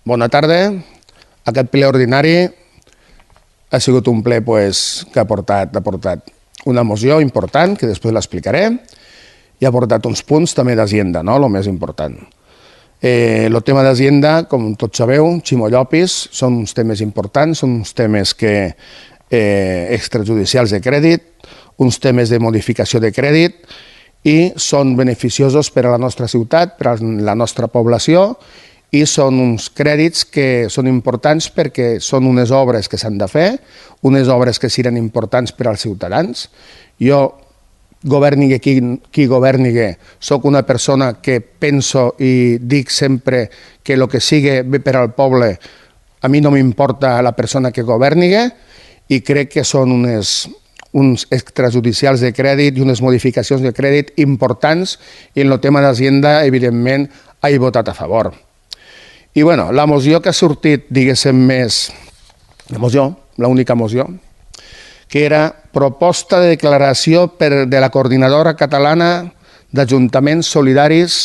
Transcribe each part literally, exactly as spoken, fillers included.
Bona tarda. Aquest ple ordinari ha sigut un ple pues, que ha portat, ha portat una moció important, que després l'explicaré, i ha portat uns punts també d'agenda, no? El més important. Eh, el tema d'agenda, com tots sabeu, Ximo Llopis, són uns temes importants, són uns temes que, eh, extrajudicials de crèdit, uns temes de modificació de crèdit, i són beneficiosos per a la nostra ciutat, per a la nostra població, i són uns crèdits que són importants perquè són unes obres que s'han de fer, unes obres que seran importants per als ciutadans. Jo, governigue qui, qui governigue, soc una persona que penso i dic sempre que el que sigui bé per al poble, a mi no m'importa la persona que governigue, i crec que són unes, uns extrajudicials de crèdit i unes modificacions de crèdit importants, i en el tema d'Hacienda, evidentment, he votat a favor. I bueno, la moció que ha sortit, diguéssim, més... La moció, l'única moció, que era proposta de declaració per, de la Coordinadora Catalana d'Ajuntaments Solidaris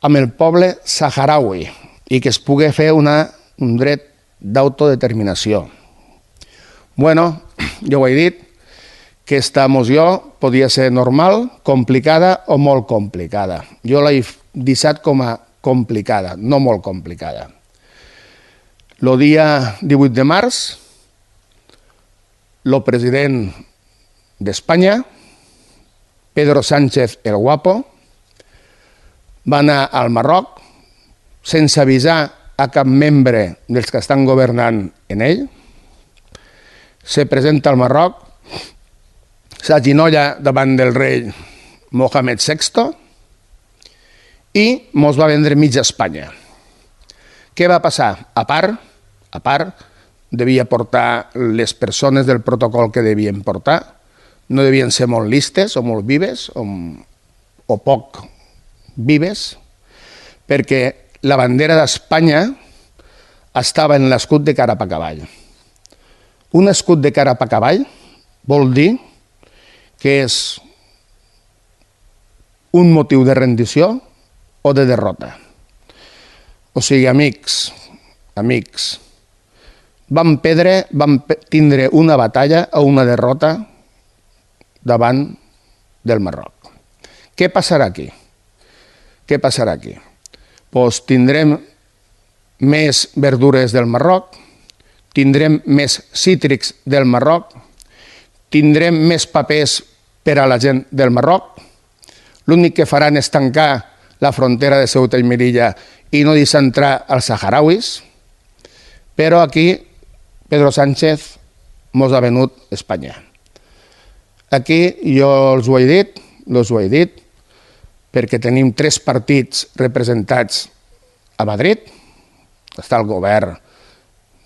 amb el poble saharaui i que es pugui fer una, un dret d'autodeterminació. Bueno, jo ho he dit, que aquesta moció podia ser normal, complicada o molt complicada. Jo l'he deixat com a complicada, no molt complicada. El dia divuit de març, el president d'Espanya, Pedro Sánchez el Guapo, va anar al Marroc sense avisar a cap membre dels que estan governant en ell, se presenta al Marroc, s'aginolla davant del rei Mohamed sexto, i mos va vendre mitja Espanya. Què va passar? A part, a part, devia portar les persones del protocol que devien portar, no devien ser molt listes o molt vives o, o poc vives, perquè la bandera d'Espanya estava en l'escut de carap a cavall. Un escut de carap a cavall vol dir que és un motiu de rendició o de derrota. O sigui, amics, amics, vam perdre, vam tindre una batalla o una derrota davant del Marroc. Què passarà aquí? Què passarà aquí? Doncs tindrem més verdures del Marroc, tindrem més cítrics del Marroc, tindrem més papers per a la gent del Marroc, l'únic que faran és tancar la frontera de Ceuta i Melilla i no deixar entrar els saharauis, però aquí Pedro Sánchez mos ha venut Espanya. Aquí jo els ho he dit, els ho he dit, perquè tenim tres partits representats a Madrid, està el govern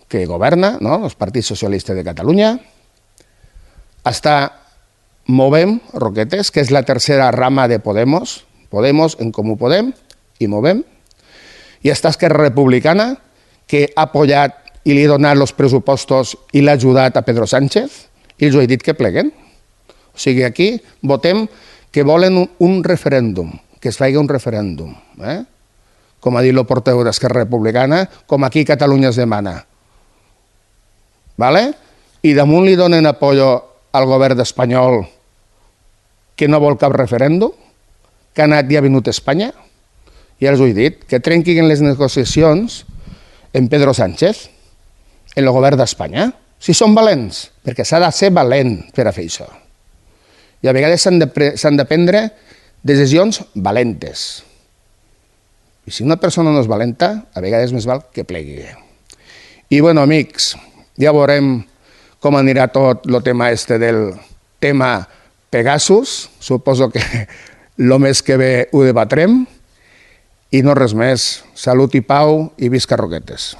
que governa, no? El Partit Socialista de Catalunya, està Movem, Roquetes, que és la tercera rama de Podemos, Podemos, En Comú Podem i Movem, i està Esquerra Republicana, que ha apoyat i li ha donat els pressupostos i l'ha ajudat a Pedro Sánchez, i els he dit que pleguen. O sigui, aquí votem que volen un referèndum, que es faci un referèndum. Eh? Com ha dit el portaveu d'Esquerra Republicana, com aquí Catalunya es demana. Vale? I damunt li donen apoyo al govern espanyol que no vol cap referèndum, que ha anat i ha venut a Espanya, ja els ho he dit, que trenquin les negociacions en Pedro Sánchez, en el govern d'Espanya, si són valents, perquè s'ha de ser valent per a fer això. I a vegades s'han de, de prendre decisions valentes. I si una persona no és valenta, a vegades més val que plegui. I, bueno, amics, ja veurem com anirà tot el tema este del tema Pegasus. Suposo que el mes que ve ho debatrem. I no res més. Salut i pau i visca Roquetes.